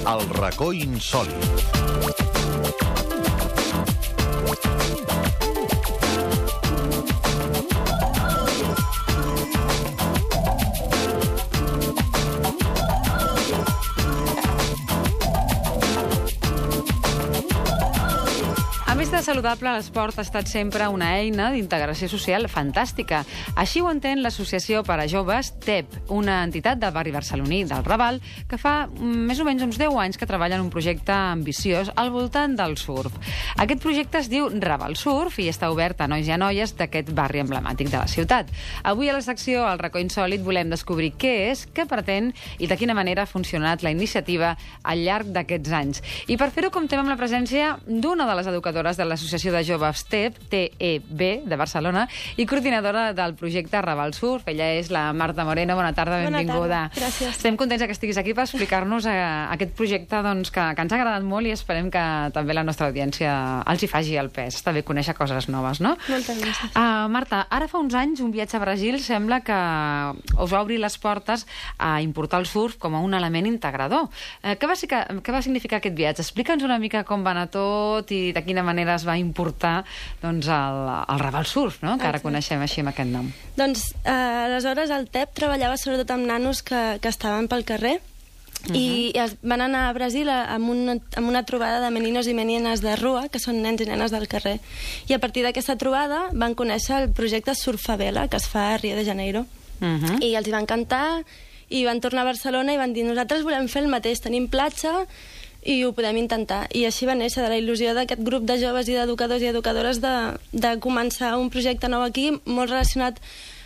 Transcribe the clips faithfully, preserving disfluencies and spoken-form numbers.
El racó insòlit. A més de saludable, l'esport ha estat sempre una eina d'integració social fantàstica. Així ho entén l'Associació per a Joves T E P, una entitat del barri barceloní del Raval, que fa més o menys uns deu anys que treballa en un projecte ambiciós al voltant del surf. Aquest projecte es diu Raval Surf i està obert a nois i a noies d'aquest barri emblemàtic de la ciutat. Avui a la secció El racó insòlit volem descobrir què és, què pretén i de quina manera ha funcionat la iniciativa al llarg d'aquests anys. I per fer-ho comptem amb la presència d'una de les educadores de l'Associació de Joves T E P, T E B, de Barcelona, i coordinadora del projecte Raval Surf. Ella és la Marta Moreno. Bona tarda, benvinguda. Bona tarda, gràcies. Estem contents que estiguis aquí per explicar-nos eh, aquest projecte doncs, que, que ens ha agradat molt i esperem que també la nostra audiència els hi faci el pes. Està bé conèixer coses noves, no? Moltes gràcies. Uh, Marta, ara fa uns anys un viatge a Brasil sembla que us va obrir les portes a importar el surf com a un element integrador. Uh, què, va, què va significar aquest viatge? Explica'ns una mica com va anar tot i de quina manera es va importar doncs, el, el Raval Surf, no? Que ara Exacte. Coneixem així amb aquest nom. Doncs, eh, aleshores, el T E P treballava sobretot amb nanos que, que estaven pel carrer. Uh-huh. I es van anar a Brasil amb una, amb una trobada de meninos i menines de rua, que són nens i nenes del carrer. I a partir d'aquesta trobada van conèixer el projecte Surfavela, que es fa a Rio de Janeiro. Uh-huh. I els hi va encantar, i van tornar a Barcelona i van dir nosaltres volem fer el mateix, tenim platja i ho podem intentar. I així va néixer de la il·lusió d'aquest grup de joves i d'educadors i educadores de, de començar un projecte nou aquí, molt relacionat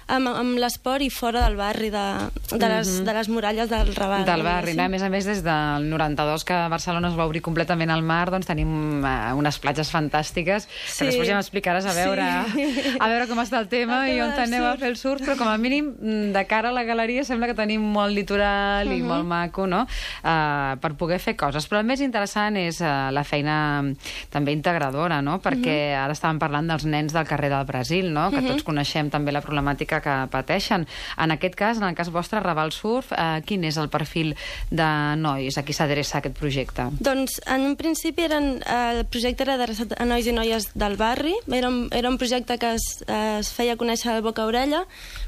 amb, amb l'esport i fora del barri, de, de, les, de les muralles del Raval. Del barri, no? A més a més, des del noranta-dos que Barcelona es va obrir completament al mar, doncs tenim uh, unes platges fantàstiques, sí. Que després ja m'explicaràs a veure sí. a veure com està el tema el i on aneu a fer el surf, però com a mínim, de cara a la galeria, sembla que tenim molt litoral uh -huh. i molt maco, no? Uh, per poder fer coses. Però el més interessant és uh, la feina també integradora, no? Perquè uh -huh. ara estàvem parlant dels nens del carrer del Brasil, no? Que uh -huh. tots coneixem també la problemàtica que pateixen. En aquest cas, en el cas vostre, Raval Surf, eh, quin és el perfil de nois a qui s'adreça aquest projecte? Doncs, en un principi, eren, eh, el projecte era adreçat a nois i noies del barri. Era un, era un projecte que es, eh, es feia conèixer de boca a orella,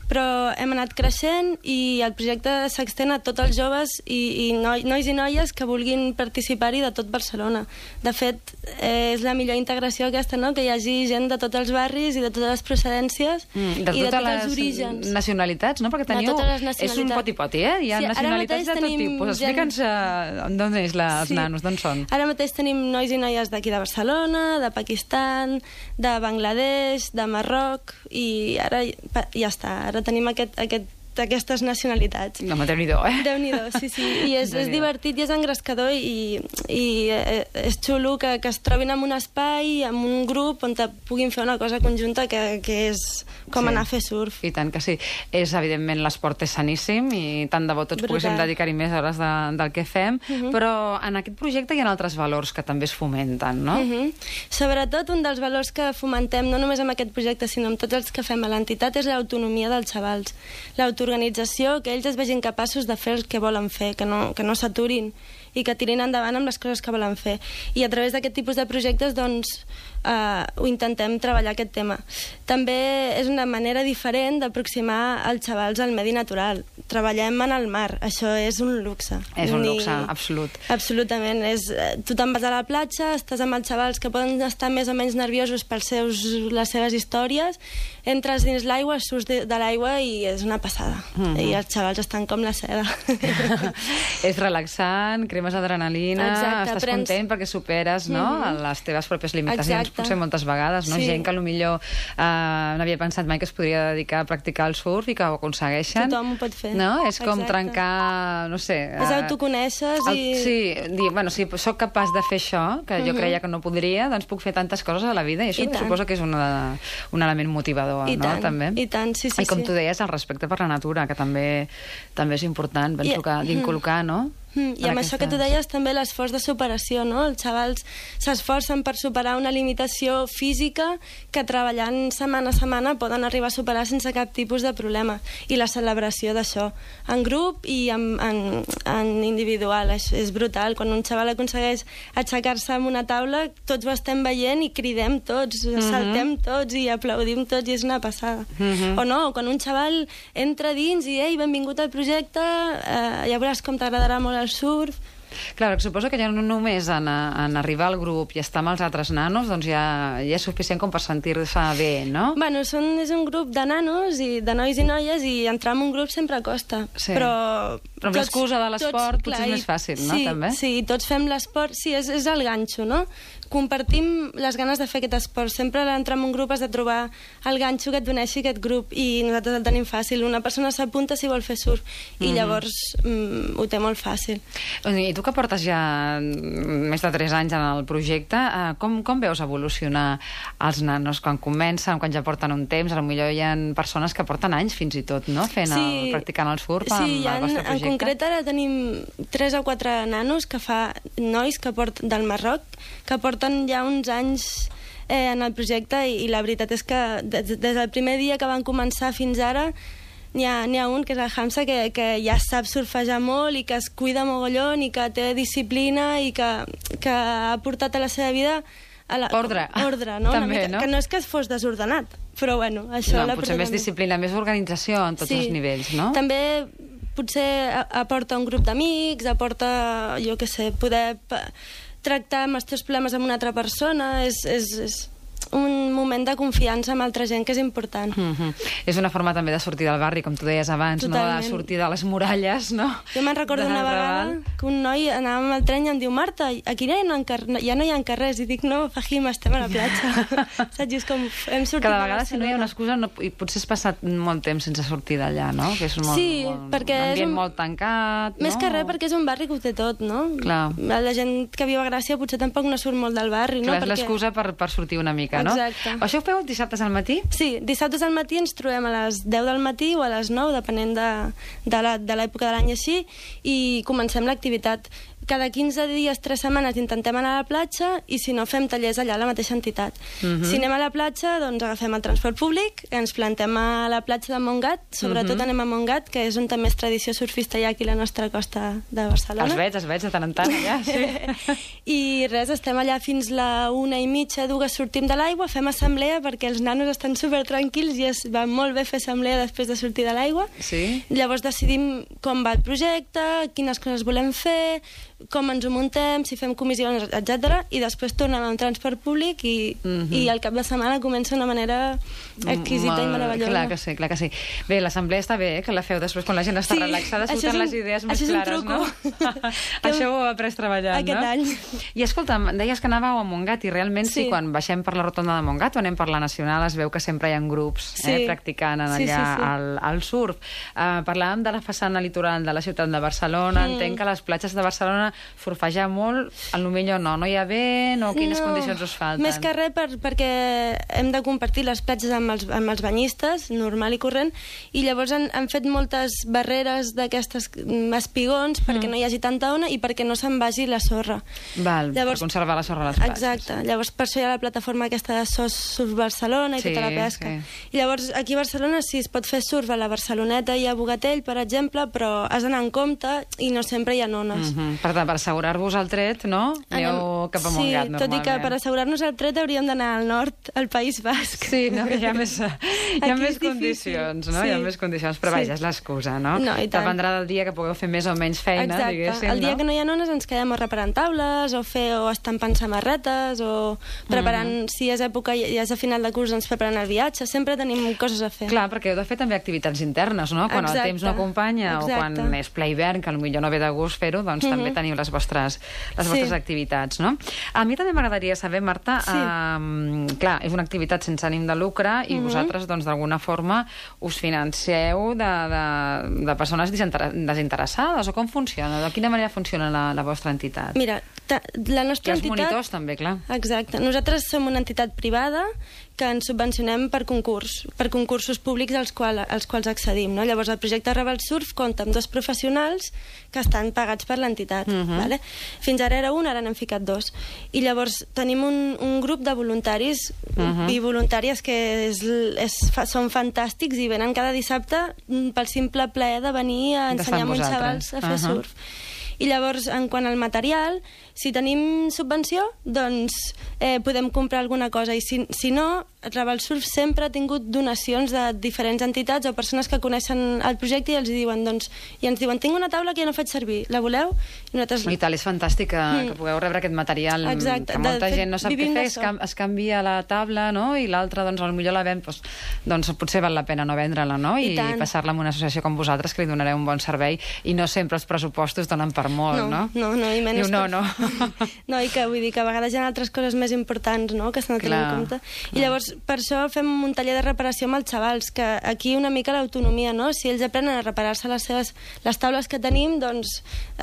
però hem anat creixent i el projecte s'extén a tots els joves i, i noi, nois i noies que vulguin participar-hi de tot Barcelona. De fet, eh, és la millor integració aquesta, no? Que hi hagi gent de tots els barris i de totes les procedències mm, de i de tots les... els orígens. Nacionalitats, no? Perquè teniu... És un poti-poti, eh? Hi ha sí, nacionalitats de tot tipus. Explica'ns uh, d'on és la, els sí. nanos, d'on són? Ara mateix tenim nois i noies d'aquí de Barcelona, de Pakistan, de Bangladesh, de Marroc, i ara ja està. Ara tenim aquest, aquest d'aquestes nacionalitats. No, Déu-n'hi-do, eh? Déu-n'hi-do, sí, sí. I és, és divertit i és engrescador i, i és xulo que, que es trobin en un espai, en un grup on puguin fer una cosa conjunta que, que és com sí. anar a fer surf. I tant que sí. És, evidentment, l'esport és saníssim i tant de bo tots Brutal. poguéssim dedicar-hi més hores de, del que fem, uh -huh. però en aquest projecte hi ha altres valors que també es fomenten, no? Uh -huh. Sobretot, un dels valors que fomentem, no només amb aquest projecte, sinó amb tots els que fem a l'entitat, és l'autonomia dels xavals. L'autoorganització, que ells es vegin capaços de fer el que volen fer, que no, que no s'aturin i que tirin endavant amb les coses que volen fer. I a través d'aquest tipus de projectes, doncs, eh, ho intentem treballar aquest tema. També és una manera diferent d'aproximar els xavals al medi natural. Treballem en el mar, això és un luxe. És un luxe, I... absolut. Absolutament. És, tu te'n vas a la platja, estàs amb els xavals que poden estar més o menys nerviosos per seus, les seves històries, entres dins l'aigua, surts de, de l'aigua i és una passada. Mm-hmm. I els xavals estan com la seda. És relaxant, cremes adrenalina, exacte, estàs prens... content perquè superes no, mm-hmm. les teves pròpies limitacions, exacte. Potser moltes vegades, no? Sí. Gent que potser uh, no havia pensat mai que es podria dedicar a practicar el surf i que ho aconsegueixen. Tothom ho pot fer. No? És com exacte. trencar, no sé... És autoconeixes el, i... Sí, dir, bueno, si sóc capaç de fer això, que jo mm-hmm. creia que no podria, doncs puc fer tantes coses a la vida i això I suposo que és una, un element motivador, I no? Tant. També. I tant, sí, sí. I com sí. tu deies, el respecte per la natura, que també també és important, penso I... que d'inculcar, no? Mm, I amb aquestes... això que tu deies també l'esforç de superació, no? Els xavals s'esforcen per superar una limitació física que treballant setmana a setmana poden arribar a superar sense cap tipus de problema. I la celebració d'això, en grup i en, en, en individual, és, és brutal. Quan un xaval aconsegueix aixecar-se en una taula, tots ho estem veient i cridem tots, mm -hmm. saltem tots i aplaudim tots i és una passada. Mm -hmm. O no, quan un xaval entra dins i ei, benvingut al projecte, eh, ja veuràs com t'agradarà molt el surf. Clar, suposo que ja no només en, en arribar al grup i estar amb els altres nanos, doncs ja, ja és suficient com per sentir-se bé, no? Bueno, són, és un grup de nanos i de nois i noies i entrar en un grup sempre costa. Sí. Però, però amb l'excusa de l'esport potser és més fàcil, no? Sí, també? sí, tots fem l'esport, sí, és, és el ganxo, no? Compartim les ganes de fer aquest esport. Sempre a l'entrar en un grup has de trobar el ganxo que et doneixi aquest grup i nosaltres el tenim fàcil. Una persona s'apunta si vol fer surf i mm-hmm. llavors mm, ho té molt fàcil. I tu que portes ja més de tres anys en el projecte, eh, com, com veus evolucionar els nanos quan comencen, quan ja porten un temps? Potser hi ha persones que porten anys fins i tot, no? Fent sí, el, practicant el surf sí, amb el vostre projecte. En concret ara tenim tres o quatre nanos que fa nois que porten del Marroc que porten ja uns anys eh, en el projecte i, i la veritat és que des, des del primer dia que van començar fins ara n'hi ha, n'hi ha un, que és el Hamza, que, que ja sap surfejar molt i que es cuida mogollon i que té disciplina i que, que ha portat a la seva vida a la, ordre, ordre no? També, mica, no? Que no és que es fos desordenat, però bueno, això... No, potser més disciplina, més organització en tots sí. els nivells, no? També potser aporta un grup d'amics, aporta, jo què sé, poder tractar amb els teus problemes amb una altra persona, és, és, és un moment de confiança amb altra gent que és important. Mm-hmm. És una forma també de sortir del barri, com tu deies abans, totalment. No? De sortir de les muralles, no? Jo me'n recordo una vegada que un noi anava amb el tren i em diu Marta, aquí ja no, ja no hi ha carrers, i dic no, Fahim, estem a la platja. Saps? És com hem sortit cada vegada si no hi ha una excusa no, i potser has passat molt temps sense sortir d'allà, no? Que és molt, sí, molt, perquè un ambient és un... molt tancat, més no? que res perquè és un barri que ho té tot, no? Clar. La gent que viu a Gràcia potser tampoc no surt molt del barri, no? Clar, és perquè... l'excusa per, per sortir una mica, no? Exacte. Això ho feu dissabtes al matí? Sí, dissabtes al matí ens trobem a les deu del matí o a les nou, depenent de, de l'època de l'any així, i comencem l'activitat. Cada quinze dies, tres setmanes, intentem anar a la platja i si no fem tallers allà a la mateixa entitat. Uh-huh. Si anem a la platja, doncs agafem el transport públic, ens plantem a la platja de Montgat, sobretot uh-huh. anem a Montgat, que és on també és tradició surfista hi ha aquí a la nostra costa de Barcelona. Els veig, els veig de tant en tant allà, sí. I res, estem allà fins la una i mitja, dues, sortim de l'aigua, fem assemblea perquè els nanos estan super tranquils i es va molt bé fer assemblea després de sortir de l'aigua. Sí. Llavors decidim com va el projecte, quines coses volem fer, com ens ho muntem, si fem comissions, etcètera. I després tornem amb transport públic i, mm-hmm. i al cap de setmana comença una manera exquisita Molt, i meravellosa. Clar que sí, clar que sí. Bé, l'assemblea està bé, eh, que la feu després quan la gent està sí, relaxada, surten les idees més clares, no? Això ho he après treballant, aquest no? any. I escolta, deies que anàveu a Montgat i realment sí, sí quan baixem per la rotonda de Montgat o anem per la Nacional es veu que sempre hi ha grups sí. eh, practicant allà sí, sí, sí. Al, al surf. Uh, parlàvem de la façana litoral de la ciutat de Barcelona, mm. entenc que a les platges de Barcelona surfejar molt, potser no, no hi ha vent o quines no, condicions us falten? Més que res per, perquè hem de compartir les platges amb els, amb els banyistes, normal i corrent, i llavors han, han fet moltes barreres d'aquestes espigons perquè mm. no hi hagi tanta ona i perquè no se'n vagi la sorra. Val, llavors, per conservar la sorra a les platges. Exacte, llavors per això hi ha la plataforma aquesta de S O S Surf Barcelona i sí, tota la pesca. Sí. I llavors aquí a Barcelona sí es pot fer surf a la Barceloneta i a Bogatell, per exemple, però has d'anar en compte i no sempre hi ha ones. Mm-hmm. Per tant, per assegurar-vos el tret, no? Aneu cap a Montgat, sí, normalment. Tot i que per assegurar-nos el tret hauríem d'anar al nord, al País Basc. Sí, no? Hi ha més, hi ha més condicions, no? Sí. Hi ha més condicions, però vaja, és l'excusa, no? No, i tant. Dependrà del dia que pugueu fer més o menys feina, exacte. Diguéssim, el dia no? que no hi ha ones ens quedem o reparant taules, o fer o estampant samarretes, o preparant, mm. si és època, ja és a final de curs, doncs preparant el viatge, sempre tenim coses a fer. Clar, perquè heu de fer també activitats internes, no? Quan exacte. El temps no acompanya exacte. O quan és ple hivern, que potser no ve de gust fer-ho, doncs mm-hmm. també teniu les vostres, les sí. vostres activitats, no? A mi també m'agradaria saber, Marta, sí. eh, clar, és una activitat sense ànim de lucre i mm-hmm. vosaltres, doncs, d'alguna forma us financeu de, de, de persones desinteressades, o com funciona? De quina manera funciona la, la vostra entitat? Mira, ta, la nostra I els entitat... monitors també, clar. Exacte. Nosaltres som una entitat privada que ens subvencionem per concurs, per concursos públics als, qual, als quals accedim. No? Llavors, el projecte Raval Surf compta amb dos professionals que estan pagats per l'entitat. Uh-huh. Vale? Fins ara era un, ara n'hem ficat dos. I llavors tenim un, un grup de voluntaris uh-huh. i voluntàries que és, és, són fantàstics i venen cada dissabte pel simple plaer de venir a ensenyar a uns xavals a fer uh-huh. surf. I llavors, en quant al material, si tenim subvenció, doncs eh, podem comprar alguna cosa. I si, si no, Raval Surf sempre ha tingut donacions de diferents entitats o persones que coneixen el projecte i els diuen, doncs, i ens diuen, tinc una taula que ja no faig servir, la voleu? I nosaltres... I tal, és fantàstic que, mm. que pugueu rebre aquest material. Exacte. Que molta de gent no sap què fer, es, cam es canvia la taula, no? I l'altra, doncs, potser la ven, doncs, doncs potser val la pena no vendre-la, no? I, I passar-la amb una associació com vosaltres que li donareu un bon servei i no sempre els pressupostos donen per molt, no? No, no, no i menys... Diu, no, no. No, i que vull dir que a vegades hi ha altres coses més importants, no?, que s'han de tenir en compte. I llavors, per això fem un taller de reparació amb els xavals, que aquí una mica l'autonomia, no? Si ells aprenen a reparar-se les seves les taules que tenim, doncs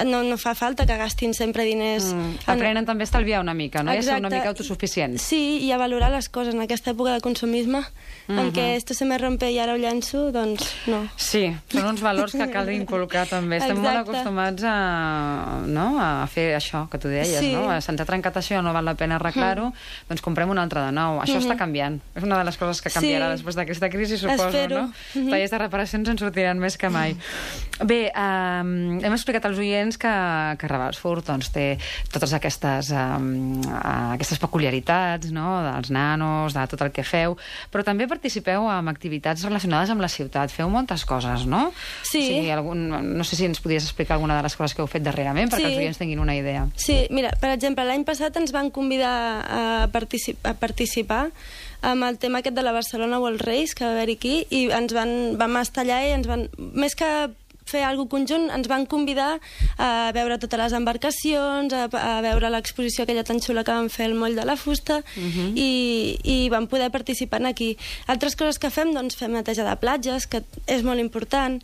no, no fa falta que gastin sempre diners. Mm. Aprenen en... també a estalviar una mica, no? Exacte. I a ser una mica autosuficients. Sí, i a valorar les coses en aquesta època de consumisme, mm-hmm. en què esto se me rompe i ara ho llenço, doncs no. Sí, són uns valors que cal inculcar també. Estem Exacte. molt acostumats a, no? a fer això que tu deies, sí. no? Se'ns ha trencat això, no val la pena arreglar-ho, mm. doncs comprem un altre de nou. Això mm-hmm. està canviant. És una de les coses que canviarà sí. després d'aquesta crisi, suposo, Espero. no? Mm-hmm. Tallers de reparacions en sortiran més que mai. Bé, um, hem explicat als oients que, que Raval Surf doncs, té totes aquestes, um, aquestes peculiaritats, no? Dels nanos, de tot el que feu, però també participeu en activitats relacionades amb la ciutat. Feu moltes coses, no? Sí. O sigui, algun, no sé si ens podries explicar alguna de les coses que heu fet darrerament, perquè sí. els oients tinguin una idea. Sí, mira, per exemple, l'any passat ens van convidar a, particip a participar amb el tema aquest de la Barcelona World Race, que va haver-hi aquí, i ens van, vam estar allà i ens van... Més que fer alguna conjunt, ens van convidar a veure totes les embarcacions, a, a veure l'exposició aquella tan xula que vam fer al Moll de la Fusta, uh-huh. i, i vam poder participar aquí. Altres coses que fem, doncs fem neteja de platges, que és molt important.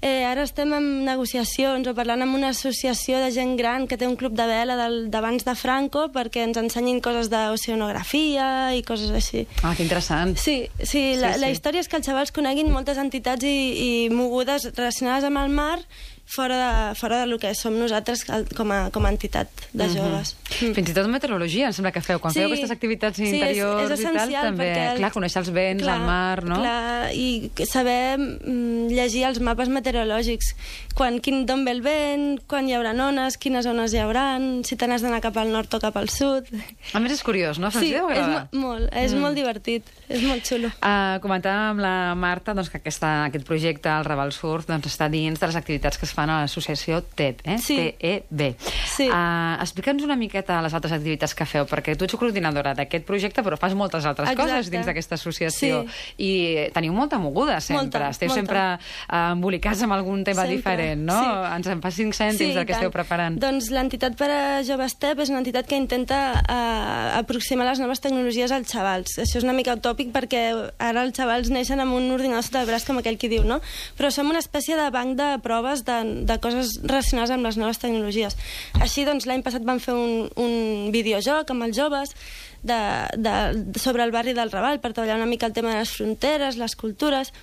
Eh, ara estem en negociacions o parlant amb una associació de gent gran que té un club de vela d'abans de Franco perquè ens ensenyin coses d'oceanografia i coses així. Ah, que interessant. Sí, sí, la, sí, sí. la història és que els xavals coneguin moltes entitats i, i mogudes relacionades amb el mar fora de, fora de lo que som nosaltres com a, com a entitat de joves. Mm-hmm. Mm. Fins i tot meteorologia, em sembla que feu. Quan sí, feu aquestes activitats interiors sí, és, és i tal, també, el... clar, conèixer els vents, clar, el mar, no? Clar, i saber mm, llegir els mapes meteorològics. Quan, quin, d'on ve el vent, quan hi haurà ones, quines ones hi haurà, si te n'has d'anar cap al nord o cap al sud. A més és curiós, no? Sí, és mo molt, és mm. molt divertit, és molt xulo. Uh, comentàvem amb la Marta doncs, que aquesta, aquest projecte, el Raval Surf, doncs, està dins de les activitats que es fan a l'associació T E B, eh? Sí. T E B. Sí. Uh, Explica'ns una miqueta les altres activitats que feu, perquè tu ets coordinadora d'aquest projecte, però fas moltes altres Exacte. coses dins d'aquesta associació. Sí. I teniu molta moguda, sempre. Molta, Esteu molta. sempre uh, embolicats amb algun tema sempre. diferent, no? Sí. Ens en fas cinc cèntims sí, del que esteu preparant. Doncs l'entitat per a joves T E B és una entitat que intenta uh, aproximar les noves tecnologies als xavals. Això és una mica utòpic perquè ara els xavals neixen amb un ordinador sota el braç, com aquell qui diu, no? Però som una espècie de banc de proves de, de coses relacionades amb les noves tecnologies. Així, doncs, l'any passat vam fer un, un videojoc amb els joves de, de, sobre el barri del Raval per treballar una mica el tema de les fronteres, les cultures.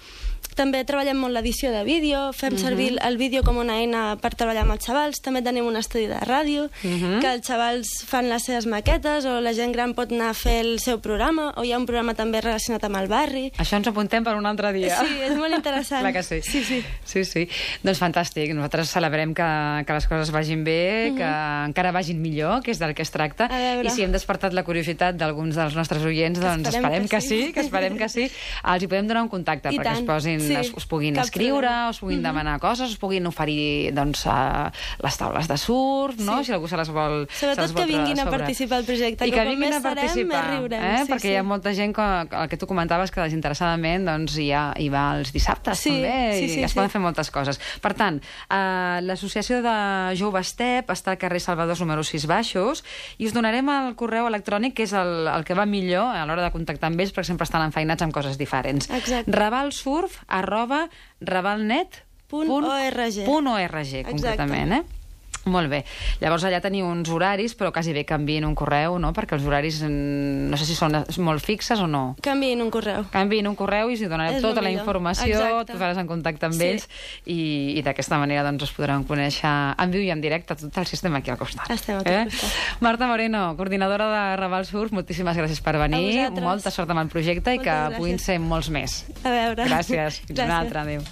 També treballem molt l'edició de vídeo, fem uh-huh. servir el vídeo com una eina per treballar amb els xavals. També tenim un estudi de ràdio, uh-huh. que els xavals fan les seves maquetes, o la gent gran pot anar a fer el seu programa, o hi ha un programa també relacionat amb el barri. Això ens apuntem per un altre dia. Sí, és molt interessant. Clar que sí. Sí, sí. sí, sí. Doncs fantàstic. Nosaltres celebrem que, que les coses vagin bé, uh-huh. que encara vagin millor, que és del que es tracta. I si hem despertat la curiositat d'alguns dels nostres oients, doncs esperem, esperem que, que sí, que esperem que sí. Els hi podem donar un contacte I perquè tant. es posin Sí, es, us puguin escriure, problema. us puguin mm-hmm. demanar coses, us puguin oferir doncs, uh, les taules de surf, no? Sí. Si algú se les vol Sobretot se les vol que vinguin a participar al projecte, I que, que com vinguin més a participar, serem, més riurem. Eh? Sí, Perquè sí. hi ha molta gent que, el que tu comentaves, que desinteressadament doncs, hi, ha, hi va els dissabtes sí, també, sí, sí, i es sí. poden fer moltes coses. Per tant, uh, l'associació de Joves T E B està al carrer Salvador número sis baixos, i us donarem el correu electrònic, que és el, el que va millor a l'hora de contactar amb ells, perquè sempre estan enfeinats amb coses diferents. Exacte. ravalsurf arroba ravalnet punt org, concretament, eh? Molt bé. Llavors allà teniu uns horaris, però quasi bé canviïn un correu, no? Perquè els horaris no sé si són molt fixes o no. Canviïn un correu. Canviïn un correu i si donareu És tota el la millor. informació, Exacte. tu faràs en contacte amb Sí. ells i, i d'aquesta manera doncs, us podran conèixer en viu i en directe tot el sistema aquí al costat. Estem aquí al costat. Marta Moreno, coordinadora de Raval Surf, moltíssimes gràcies per venir. A vosaltres. Molta sort amb el projecte i Moltes que gràcies. puguin ser molts més. A veure. Gràcies. Fins una Gràcies. altra. Adéu.